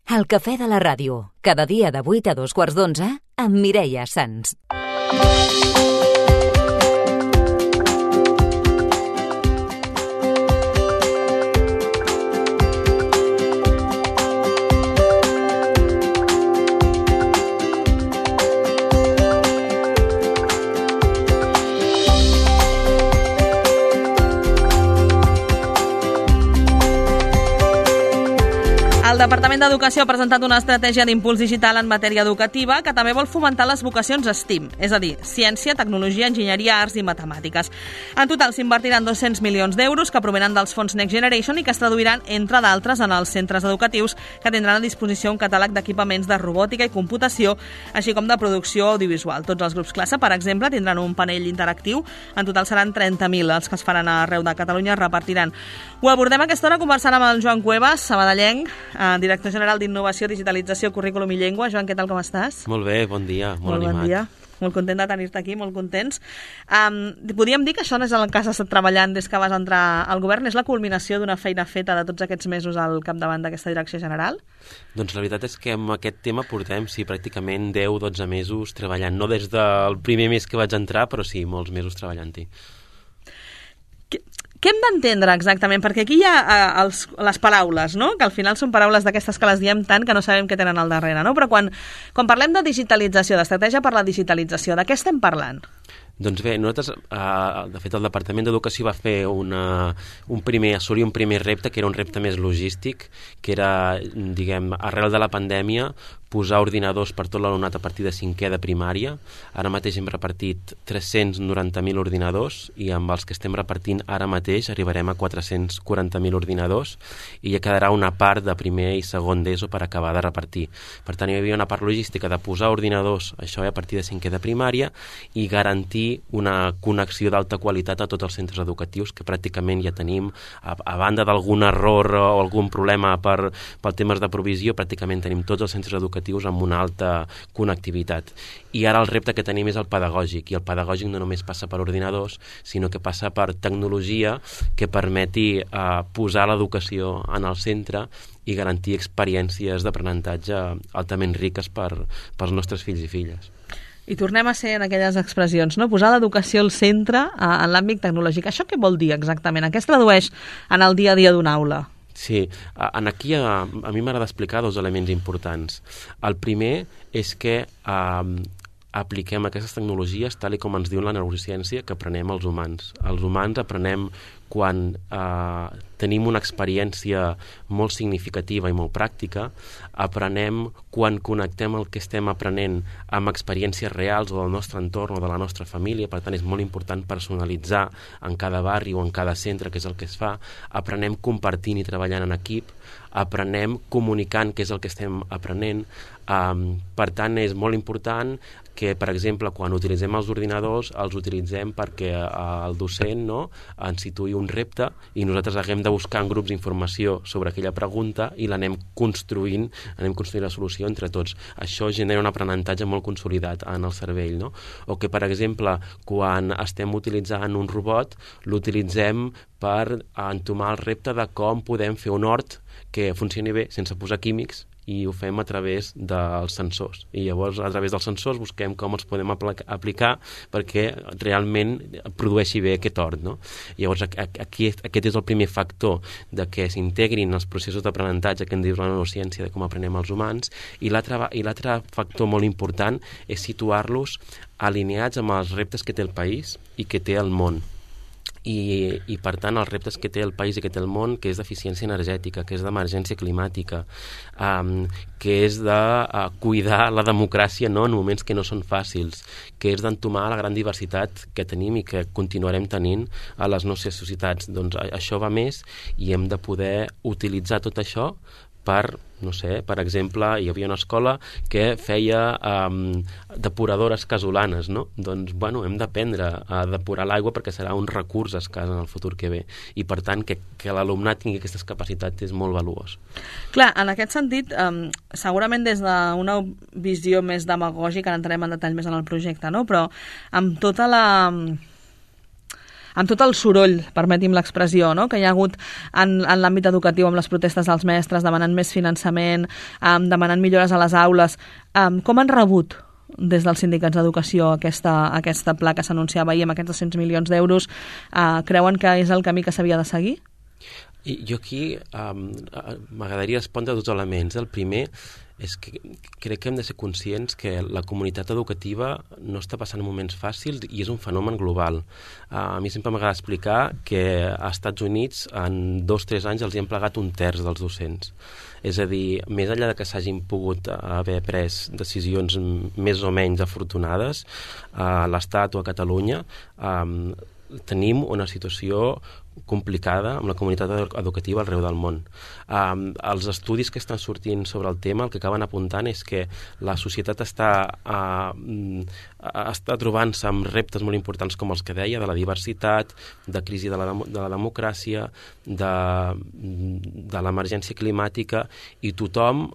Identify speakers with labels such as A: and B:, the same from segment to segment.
A: El cafè de la ràdio, cada dia de 8 a 2:15 amb Mireia Sans.
B: El Departament d'Educació ha presentat una estratègia d'impuls digital en matèria educativa que també vol fomentar les vocacions STEAM, és a dir, ciència, tecnologia, enginyeria, arts i matemàtiques. En total s'invertiran 200 milions d'euros que provenen dels fons Next Generation i que es traduiran, entre d'altres, en els centres educatius que tindran a disposició un catàleg d'equipaments de robòtica i computació, així com de producció audiovisual. Tots els grups classe, per exemple, tindran un panell interactiu. En total seran 30.000 els que es faran arreu de Catalunya, es repartiran. Ho abordem a aquesta hora conversant amb el Joan Cuevas, sabadellenc, director general d'Innovació, Digitalització, Currículum i Llengua. Joan, què tal, com estàs?
C: Molt bé, bon dia, molt animat.
B: Bon dia. Molt content de tenir-te aquí, molt contents. Podríem dir que això no és el que has estat treballant des que vas entrar al govern? És la culminació d'una feina feta de tots aquests mesos al capdavant d'aquesta direcció general?
C: Doncs la veritat és que amb aquest tema portem, pràcticament 10-12 mesos treballant. No des del primer mes que vaig entrar, però sí, molts mesos treballant-hi.
B: Què hem d'entendre exactament? Perquè aquí hi ha les paraules, no? Que al final són paraules d'aquestes que les diem tant que no sabem què tenen al darrere, no? Però quan parlem de digitalització, d'estratègia per la digitalització, de què estem parlant?
C: Doncs bé, nosaltres, de fet, el Departament d'Educació va fer assolir un primer repte, que era un repte més logístic, que era, arrel de la pandèmia, posar ordinadors per tot l'alumnat a partir de 5è de primària. Ara mateix hem repartit 390.000 ordinadors i amb els que estem repartint ara mateix arribarem a 440.000 ordinadors i ja quedarà una part de primer i segon d'ESO per acabar de repartir. Per tant, hi havia una part logística de posar ordinadors, això a partir de 5è de primària, i garantir una connexió d'alta qualitat a tots els centres educatius que pràcticament ja tenim, a banda d'algun error o algun problema per temes de provisió, pràcticament tenim tots els centres educatius amb una alta connectivitat. I ara el repte que tenim és el pedagògic, i el pedagògic no només passa per ordinadors, sinó que passa per tecnologia que permeti posar l'educació en el centre i garantir experiències d'aprenentatge altament riques pels nostres fills i filles.
B: I tornem a ser en aquelles expressions, no? Posar l'educació al centre en l'àmbit tecnològic. Això què vol dir exactament? A què es tradueix en el dia a dia d'una aula?
C: Sí, aquí a mi m'agrada explicar dos elements importants. El primer és que apliquem aquestes tecnologies tal com ens diu la neurociència que aprenem els humans. Els humans aprenem quan tenim una experiència molt significativa i molt pràctica, aprenem quan connectem el que estem aprenent amb experiències reals o del nostre entorn o de la nostra família, per tant és molt important personalitzar en cada barri o en cada centre, que és el que es fa, aprenem compartint i treballant en equip, aprenem comunicant, que és el que estem aprenent. Per tant, és molt important que, per exemple, quan utilitzem els ordinadors, els utilitzem perquè el docent ens situï un repte i nosaltres haguem de buscar en grups informació sobre aquella pregunta i l'anem construint la solució entre tots. Això genera un aprenentatge molt consolidat en el cervell, no? O que, per exemple, quan estem utilitzant un robot, l'utilitzem per entomar el repte de com podem fer un hort que funcioni bé sense posar químics, i ho fem a través dels sensors. I llavors, a través dels sensors, busquem com els podem aplicar perquè realment produeixi bé aquest hort, no? Llavors, aquest és el primer factor de que s'integrin els processos d'aprenentatge que en diu la neurociència de com aprenem els humans, i l'altre factor molt important és situar-los alineats amb els reptes que té el país i que té el món. I per tant els reptes que té el país i que té el món, que és d'eficiència energètica, que és d'emergència climàtica, que és de cuidar la democràcia en moments que no són fàcils, que és d'entomar la gran diversitat que tenim i que continuarem tenint a les nostres societats. Doncs això va més i hem de poder utilitzar tot això per, per exemple, hi havia una escola que feia depuradores casolanes, no? Doncs, hem d'aprendre a depurar l'aigua perquè serà un recurs escàs en el futur que ve. I, per tant, que l'alumnat tingui aquestes capacitats és molt valuós.
B: Clar, en aquest sentit, segurament des d'una visió més demagògica, entrarem en detall més en el projecte, no? Però amb tota amb tot el soroll, permeti'm l'expressió, no?, que hi ha hagut en l'àmbit educatiu amb les protestes dels mestres, demanant més finançament, demanant millores a les aules, com han rebut des dels sindicats d'educació aquesta pla que s'anunciava ahir amb aquests 200 milions d'euros? Creuen que és el camí que s'havia de seguir?
C: I jo aquí m'agradaria respondre a dos elements. El primer és que crec que hem de ser conscients que la comunitat educativa no està passant moments fàcils i és un fenomen global. A mi sempre m'agrada explicar que als Estats Units en 2-3 anys els hi han plegat 1/3 dels docents. És a dir, més enllà de que s'hagin pogut haver pres decisions més o menys afortunades a l'Estat o a Catalunya, tenim una situació complicada amb la comunitat educativa arreu del món. Els estudis que estan sortint sobre el tema el que acaben apuntant és que la societat està trobant-se amb reptes molt importants com els que deia, de la diversitat, de crisi de la democràcia, de l'emergència climàtica, i tothom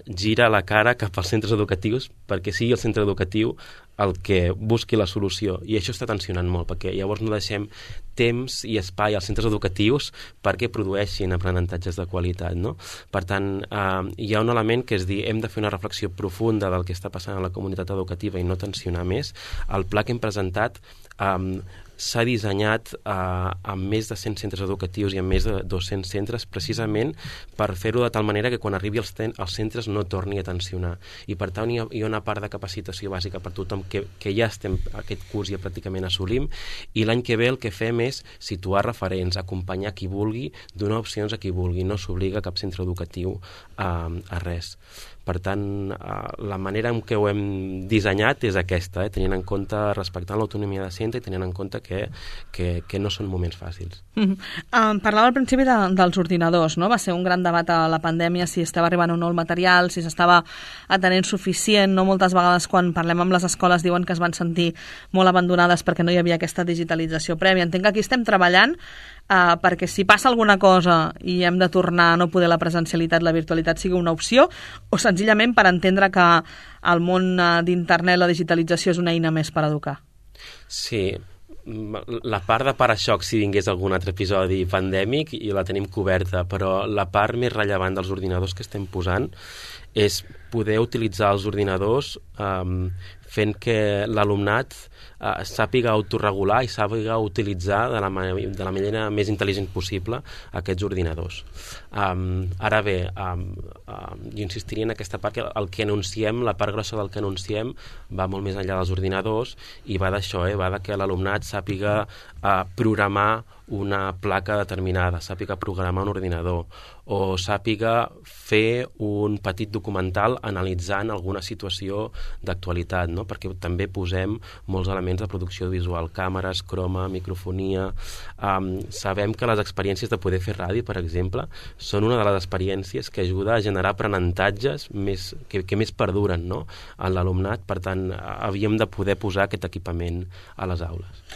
C: gira la cara cap als centres educatius perquè sigui el centre educatiu el que busqui la solució, i això està tensionant molt, perquè llavors no deixem temps i espai als centres educatius perquè produeixin aprenentatges de qualitat, no? Per tant, hi ha un element que és dir, hem de fer una reflexió profunda del que està passant a la comunitat educativa i no tensionar més. El pla que hem presentat s'ha dissenyat amb més de 100 centres educatius i amb més de 200 centres precisament per fer-ho de tal manera que quan arribi als centres no torni a tensionar. I per tant hi ha una part de capacitació bàsica per tothom que ja estem aquest curs ja pràcticament assolim, i l'any que ve el que fem és situar referents, acompanyar qui vulgui, donar opcions a qui vulgui, no s'obliga cap centre educatiu a res. Per tant, la manera en què ho hem dissenyat és aquesta, tenint en compte, respectant l'autonomia de centre i tenint en compte que no són moments fàcils.
B: Parlava al principi dels ordinadors, no? Va ser un gran debat a la pandèmia si estava arribant o no el material, si s'estava atenent suficient, no? Moltes vegades quan parlem amb les escoles diuen que es van sentir molt abandonades perquè no hi havia aquesta digitalització prèvia. Entenc que aquí estem treballant perquè si passa alguna cosa i hem de tornar a no poder la presencialitat, la virtualitat sigui una opció, o senzillament per entendre que el món d'internet, la digitalització és una eina més per educar.
C: Sí, la part de para-xoc si vingués algun altre episodi pandèmic i la tenim coberta, però la part més rellevant dels ordinadors que estem posant és poder utilitzar els ordinadors fent que l'alumnat sàpiga autorregular i sàpiga utilitzar de la manera més intel·ligent possible aquests ordinadors. Ara bé, jo insistiria en aquesta part que el que anunciem, la part grossa del que anunciem va molt més enllà dels ordinadors i va d'això, va de que l'alumnat sàpiga programar una placa determinada, sàpiga programar un ordinador o sàpiga fer un petit documental analitzant alguna situació d'actualitat, no? Perquè també posem molts elements de producció visual, càmeres, croma, microfonia. Sabem que les experiències de poder fer ràdio, per exemple, són una de les experiències que ajuda a generar aprenentatges que més perduren, no? En l'alumnat. Per tant, havíem de poder posar aquest equipament a les aules.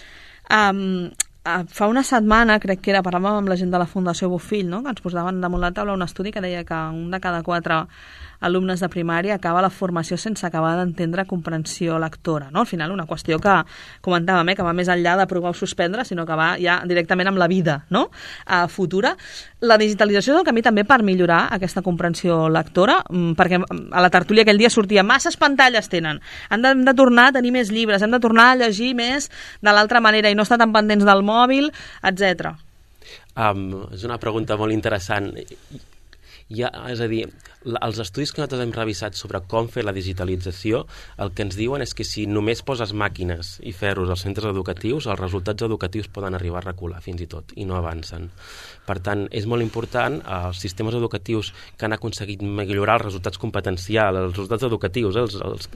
B: Fa una setmana, crec que parlàvem amb la gent de la Fundació Bofill, no? Que ens posaven damunt la taula un estudi que deia que un de cada 4 alumnes de primària acaba la formació sense acabar d'entendre comprensió lectora, no? Al final una qüestió que comentàvem, que va més enllà de provar o suspendre, sinó que va ja directament amb la vida, no? Futura. La digitalització és el camí també per millorar aquesta comprensió lectora, perquè a la tertúlia aquell dia sortia masses pantalles tenen, hem de tornar a tenir més llibres, hem de tornar a llegir més de l'altra manera i no estar tan pendents del mòbil, etc.
C: És una pregunta molt interessant. És a dir, els estudis que nosaltres hem revisat sobre com fer la digitalització, el que ens diuen és que si només poses màquines i ferros als centres educatius, els resultats educatius poden arribar a recular fins i tot, i no avancen. Per tant, és molt important, els sistemes educatius que han aconseguit millorar els resultats competencials, els resultats educatius,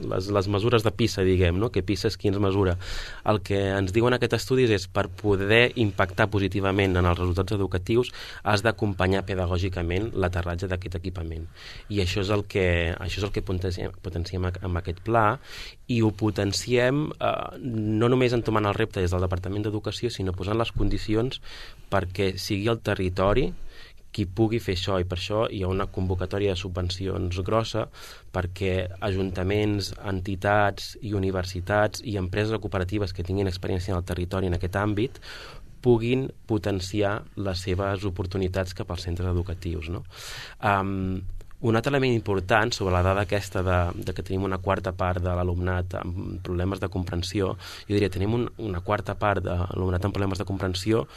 C: les mesures de PISA, diguem, no? Que PISA és qui ens mesura. El que ens diuen aquests estudis és per poder impactar positivament en els resultats educatius has d'acompanyar pedagògicament l'aterratge d'aquest equipament. I això és el que potenciem amb aquest pla, i ho potenciem no només entomant el repte des del Departament d'Educació, sinó posant les condicions perquè sigui el territori qui pugui fer això, i per això hi ha una convocatòria de subvencions grossa perquè ajuntaments, entitats i universitats i empreses cooperatives que tinguin experiència en el territori en aquest àmbit puguin potenciar les seves oportunitats cap als centres educatius, no? Un altre element important sobre la dada aquesta de que tenim una quarta part de l'alumnat amb problemes de comprensió, jo diria, tenim una quarta part de l'alumnat amb problemes de comprensió,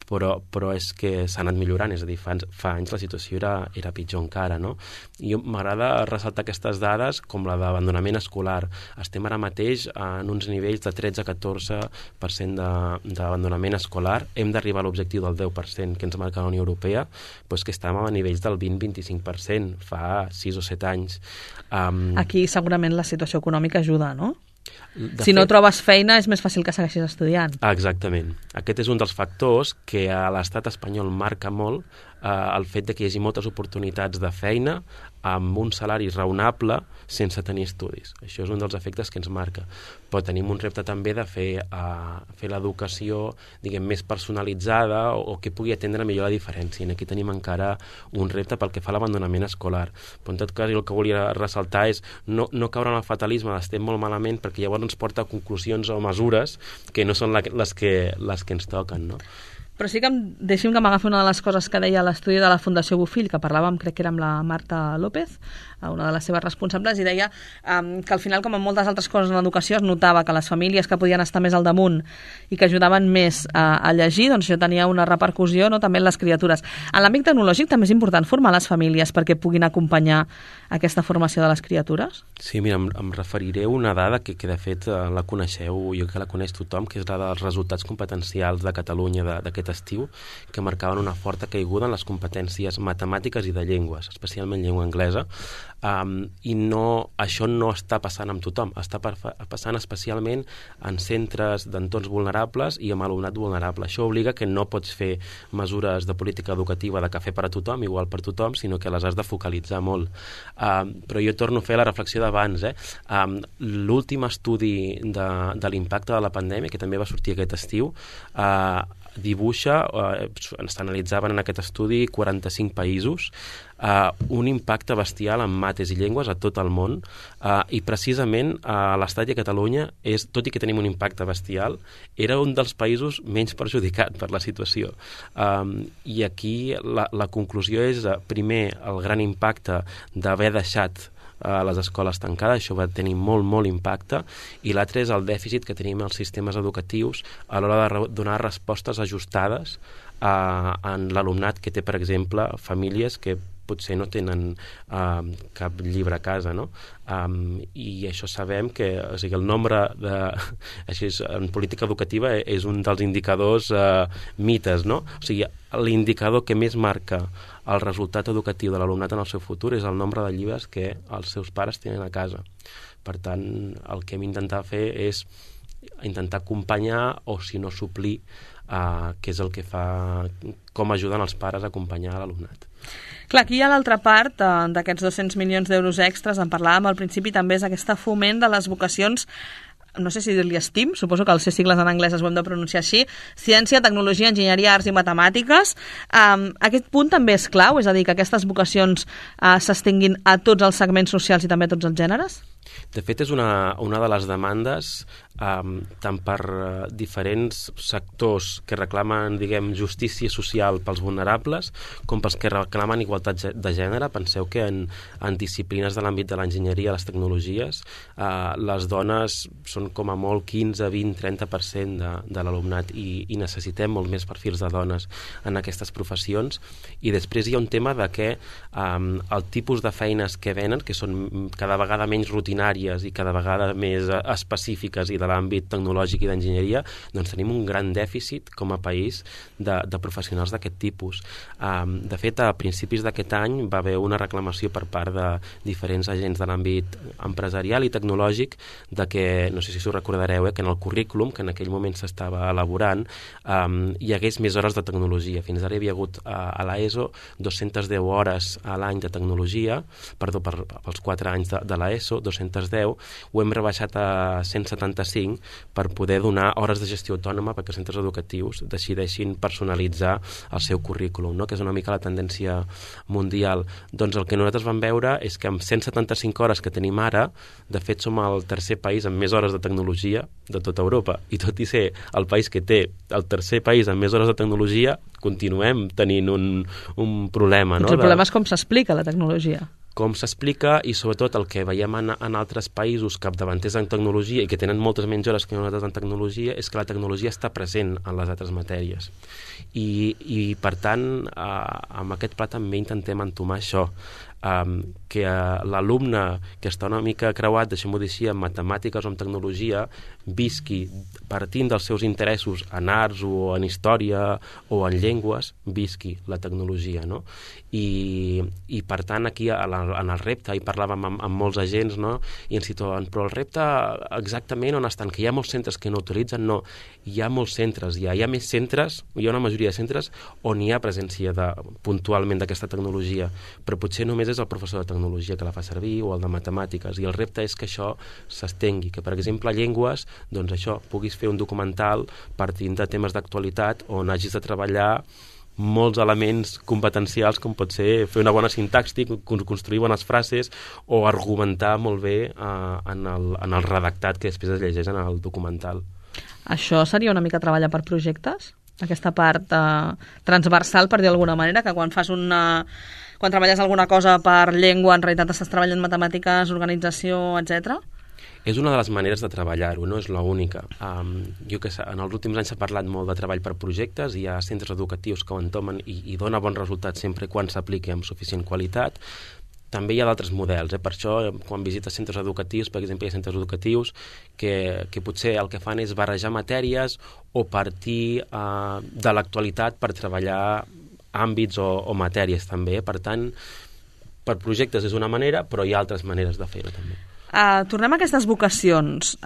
C: però és que s'ha anat millorant, és a dir, fa anys la situació era pitjor encara, no? I m'agrada ressaltar aquestes dades com la d'abandonament escolar. Estem ara mateix en uns nivells de 13-14% d'abandonament escolar. Hem d'arribar a l'objectiu del 10% que ens marca la Unió Europea, però és que estàvem a nivells del 20-25% fa 6 o 7 anys.
B: Aquí segurament la situació econòmica ajuda, no? Si no trobes feina és més fàcil que segueixis estudiant.
C: Exactament. Aquest és un dels factors que a l'estat espanyol marca molt el fet de que hi hagi moltes oportunitats de feina amb un salari raonable sense tenir estudis. Això és un dels efectes que ens marca. Però tenim un repte també de fer l'educació, diguem, més personalitzada o que pugui atendre millor la diferència. I aquí tenim encara un repte pel que fa a l'abandonament escolar. Però en tot cas, el que volia ressaltar és no caure en el fatalisme d'estem molt malament, perquè llavors ens porta a conclusions o mesures que no són les que ens toquen, no?
B: Però sí que deixi'm que m'agafi una de les coses que deia l'estudi de la Fundació Bofill, que parlàvem, crec que era amb la Marta López, una de les seves responsables, i deia que al final, com en moltes altres coses en l'educació, es notava que les famílies que podien estar més al damunt i que ajudaven més a llegir, doncs això tenia una repercussió, no?, també en les criatures. En l'àmbit tecnològic també és important formar les famílies perquè puguin acompanyar aquesta formació de les criatures?
C: Sí, mira, em referiré a una dada que de fet la coneixeu, jo que la coneix tothom, que és la dels resultats competencials de Catalunya d'aquest estiu, que marcaven una forta caiguda en les competències matemàtiques i de llengües, especialment llengua anglesa, i això no està passant amb tothom, està passant especialment en centres d'entorns vulnerables i amb alumnat vulnerable. Això obliga que no pots fer mesures de política educativa de cafè per a tothom, igual per tothom, sinó que les has de focalitzar molt. Però jo torno a fer la reflexió d'abans. L'últim estudi de l'impacte de la pandèmia, que també va sortir aquest estiu, dibuixa, s'analitzaven en aquest estudi 45 països, un impacte bestial en mates i llengües a tot el món, i precisament l'Estat i a Catalunya, tot i que tenim un impacte bestial, era un dels països menys perjudicat per la situació. I aquí la conclusió és, primer, el gran impacte d'haver deixat les escoles tancades, això va tenir molt impacte, i l'altre és el dèficit que tenim als sistemes educatius a l'hora de donar respostes ajustades en l'alumnat que té, per exemple, famílies que potser no tenen cap llibre a casa, no? I això sabem que, o sigui, el nombre en política educativa és un dels indicadors mites, no? O sigui, l'indicador que més marca el resultat educatiu de l'alumnat en el seu futur és el nombre de llibres que els seus pares tenen a casa. Per tant, el que hem d'intentat fer és intentar acompanyar o, si no, suplir, que és el que fa, com ajuden els pares a acompanyar l'alumnat.
B: Clar, aquí hi ha l'altra part d'aquests 200 milions d'euros extras, en parlàvem al principi, també és aquesta foment de les vocacions, no sé si dir-li STEAM, suposo que els sigles en anglès ho hem de pronunciar així, ciència, tecnologia, enginyeria, arts i matemàtiques. Aquest punt també és clau, és a dir, que aquestes vocacions s'estenguin a tots els segments socials i també a tots els gèneres?
C: De fet, és una de les demandes tant per diferents sectors que reclamen, diguem, justícia social pels vulnerables, com pels que reclamen igualtat de gènere. Penseu que en disciplines de l'àmbit de l'enginyeria, les tecnologies, les dones són com a molt 15, 20, 30% de l'alumnat, i necessitem molt més perfils de dones en aquestes professions. I després hi ha un tema de que el tipus de feines que venen, que són cada vegada menys rutinàries i cada vegada més específiques i de l'àmbit tecnològic i d'enginyeria, doncs tenim un gran dèficit com a país de professionals d'aquest tipus. De fet, a principis d'aquest any va haver una reclamació per part de diferents agents de l'àmbit empresarial i tecnològic de que, no sé si us recordareu, que en el currículum que en aquell moment s'estava elaborant hi hagués més hores de tecnologia. Fins ara hi havia hagut a l'ESO 210 hores a l'any de tecnologia, perdó, pels 4 anys de l'ESO, 210 210, ho hem rebaixat a 175 per poder donar hores de gestió autònoma perquè els centres educatius decideixin personalitzar el seu currículum, no? Que és una mica la tendència mundial. Doncs el que nosaltres vam veure és que amb 175 hores que tenim ara, de fet som el tercer país amb més hores de tecnologia de tota Europa, i tot i ser el país que té el tercer país amb més hores de tecnologia, continuem tenint un problema. No?
B: El problema és com s'explica la tecnologia.
C: Com s'explica, i sobretot el que veiem en altres països capdavanters en tecnologia i que tenen moltes menys hores que nosaltres en tecnologia, és que la tecnologia està present en les altres matèries. I per tant, amb aquest pla també intentem entomar això, que l'alumne que està una mica creuat, deixem-ho dir així, en matemàtiques o en tecnologia, visqui partint dels seus interessos en arts o en història o en llengües, visqui la tecnologia, no? I per tant aquí en el repte, hi parlàvem amb molts agents, no? I ens situaven, però el repte exactament on estan, que hi ha molts centres que no utilitzen, no, hi ha molts centres, hi ha més centres, hi ha una majoria de centres on hi ha presència puntualment d'aquesta tecnologia, però potser només és el professor de tecnologia que la fa servir o el de matemàtiques, i el repte és que això s'estengui, que per exemple a llengües, doncs això, puguis fer un documental partint de temes d'actualitat on hagis de treballar molts elements competencials com pot ser fer una bona sintaxi, construir bones frases o argumentar molt bé en el redactat que després es llegeix en el documental.
B: Això seria una mica treballar per projectes? Aquesta part transversal, per dir d'alguna manera, que quan treballes alguna cosa per llengua, en realitat estàs treballant matemàtiques, organització, etc.
C: És una de les maneres de treballar-ho, no és l'única. Jo que sé, en els últims anys s'ha parlat molt de treball per projectes, hi ha centres educatius que ho entomen i dona bons resultats sempre quan s'apliqui amb suficient qualitat. També hi ha d'altres models, per això quan visites centres educatius, per exemple, hi ha centres educatius que potser el que fan és barrejar matèries o partir de l'actualitat per treballar àmbits o matèries també. Per tant, per projectes és una manera, però hi ha altres maneres de fer-ho també.
B: Tornem a aquestes vocacions.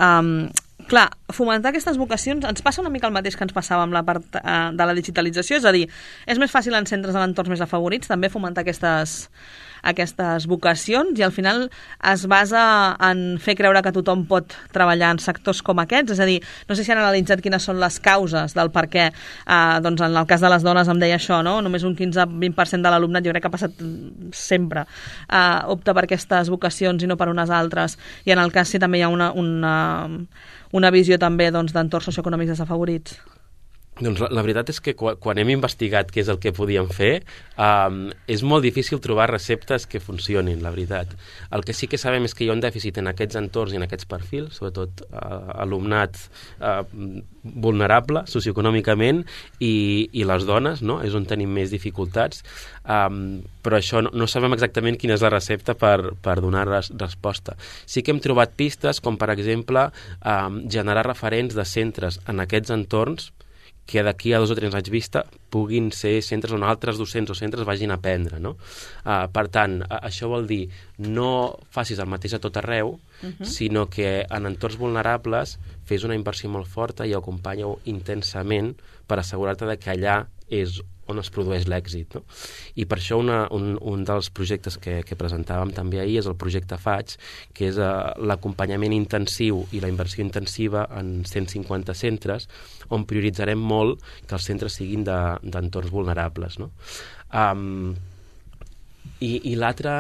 B: Clar, fomentar aquestes vocacions ens passa una mica el mateix que ens passava amb la part de la digitalització, és a dir, és més fàcil en centres en entorns més afavorits també fomentar aquestes vocacions, i al final es basa en fer creure que tothom pot treballar en sectors com aquests, és a dir, no sé si han analitzat quines són les causes del per què, doncs en el cas de les dones em deia això, no? Només un 15-20% de l'alumnat, jo crec que ha passat sempre, opta per aquestes vocacions i no per unes altres, i en el cas sí també hi ha una visió també d'entorns socioeconòmics desafavorits.
C: Doncs la veritat és que quan hem investigat què és el que podíem fer, és molt difícil trobar receptes que funcionin, la veritat. El que sí que sabem és que hi ha un dèficit en aquests entorns i en aquests perfils, sobretot alumnat vulnerable socioeconòmicament i les dones, no? És on tenim més dificultats, però això no sabem exactament quina és la recepta per donar resposta. Sí que hem trobat pistes com, per exemple, generar referents de centres en aquests entorns que d'aquí a 2 o 3 anys vista puguin ser centres on altres docents o centres vagin a aprendre, no? Per tant, això vol dir no facis el mateix a tot arreu, sinó que en entorns vulnerables fes una inversió molt forta i acompanya-ho intensament per assegurar-te que allà és on es produeix l'èxit, no? I per això un dels projectes que presentàvem també ahir és el projecte FAIG, que és l'acompanyament intensiu i la inversió intensiva en 150 centres, on prioritzarem molt que els centres siguin d'entorns vulnerables, no? I l'altre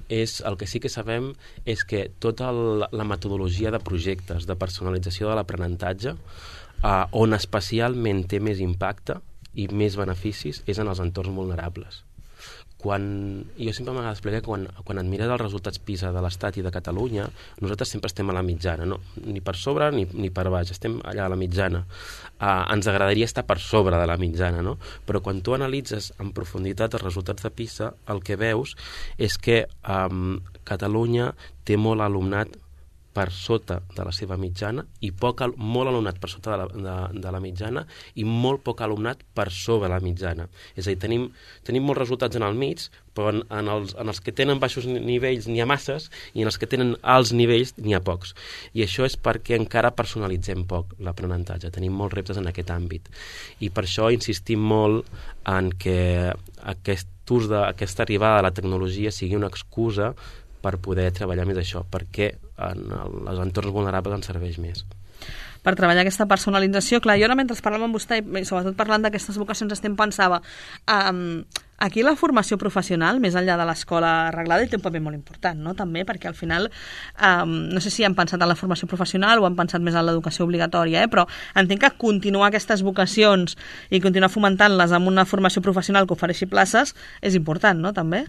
C: és, el que sí que sabem és que tota la metodologia de projectes, de personalització de l'aprenentatge, on especialment té més impacte i més beneficis és en els entorns vulnerables. Jo sempre m'agrada explicar que quan et mires els resultats PISA de l'Estat i de Catalunya, nosaltres sempre estem a la mitjana, no? Ni per sobre ni per baix, estem allà a la mitjana. Ens agradaria estar per sobre de la mitjana, no? Però quan tu analitzes en profunditat els resultats de PISA, el que veus és que Catalunya té molt alumnat per sota de la seva mitjana i molt alumnat per sota de la mitjana i molt poc alumnat per sobre la mitjana. És a dir, tenim molts resultats en el mig, però en els que tenen baixos nivells n'hi ha masses i en els que tenen alts nivells n'hi ha pocs. I això és perquè encara personalitzem poc l'aprenentatge. Tenim molts reptes en aquest àmbit. I per això insistim molt en que aquesta arribada a la tecnologia sigui una excusa per poder treballar més això, perquè en els entorns vulnerables ens serveix més.
B: Per treballar aquesta personalització. Clar, jo ara mentre parlava amb vostè, i sobretot parlant d'aquestes vocacions, pensava, aquí la formació professional, més enllà de l'escola arreglada, té un paper molt important, no? També, perquè al final, no sé si han pensat en la formació professional o han pensat més en l'educació obligatòria, però entenc que continuar aquestes vocacions i continuar fomentant-les amb una formació professional que ofereixi places és important, no? També?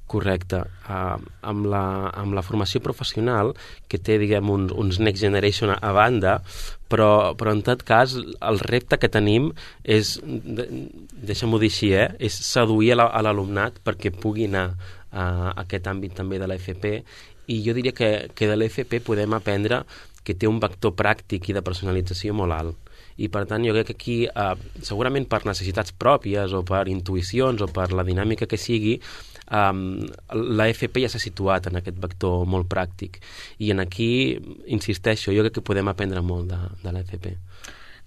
C: Correcte. Amb la formació professional, que té, diguem, uns Next Generation a banda, però en tot cas el repte que tenim és, deixa'm-ho dir així, és seduir a l'alumnat perquè pugui anar a aquest àmbit també de l'FP, i jo diria que de l'FP podem aprendre que té un vector pràctic i de personalització molt alt. I per tant jo crec que aquí, segurament per necessitats pròpies o per intuïcions o per la dinàmica que sigui, la FP ja s'ha situat en aquest vector molt pràctic, i en aquí, insisteixo, jo crec que podem aprendre molt de la FP.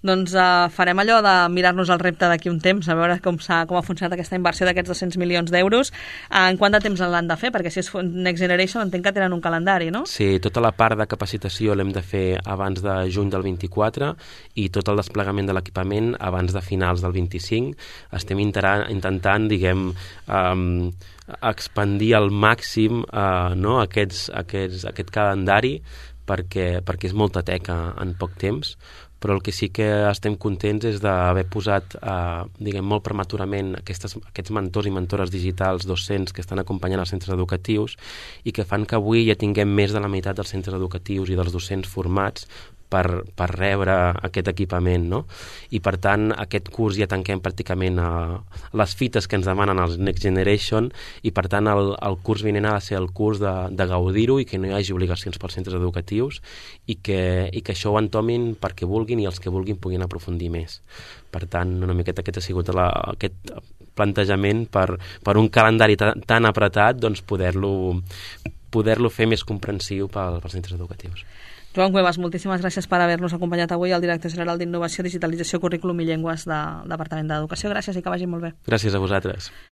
B: Doncs farem allò de mirar-nos el repte d'aquí un temps, a veure com ha funcionat aquesta inversió d'aquests 200 milions d'euros. En quant de temps l'han de fer? Perquè si és Next Generation entenc que tenen un calendari, no?
C: Sí, tota la part de capacitació l'hem de fer abans de juny del 24 i tot el desplegament de l'equipament abans de finals del 25. Estem intentant, diguem, expandir al màxim aquest calendari perquè és molta teca en poc temps, però el que sí que estem contents és d'haver posat, diguem, molt prematurament aquests mentors i mentores digitals docents que estan acompanyant els centres educatius i que fan que avui ja tinguem més de la meitat dels centres educatius i dels docents formats per rebre aquest equipament, no? I per tant aquest curs ja tanquem pràcticament les fites que ens demanen els Next Generation, i per tant el curs vinent ha de ser el curs de gaudir-ho i que no hi hagi obligacions pels centres educatius i que això ho entomin perquè vulguin i els que vulguin puguin aprofundir més. Per tant, una miqueta aquest ha sigut aquest plantejament per un calendari tan apretat, doncs poder-lo fer més comprensiu pels centres educatius.
B: Joan Cuevas, moltíssimes gràcies per haver-nos acompanyat avui, el director general d'Innovació, Digitalització, Currículum i Llengües del Departament d'Educació. Gràcies i que vagi molt bé.
C: Gràcies a vosaltres.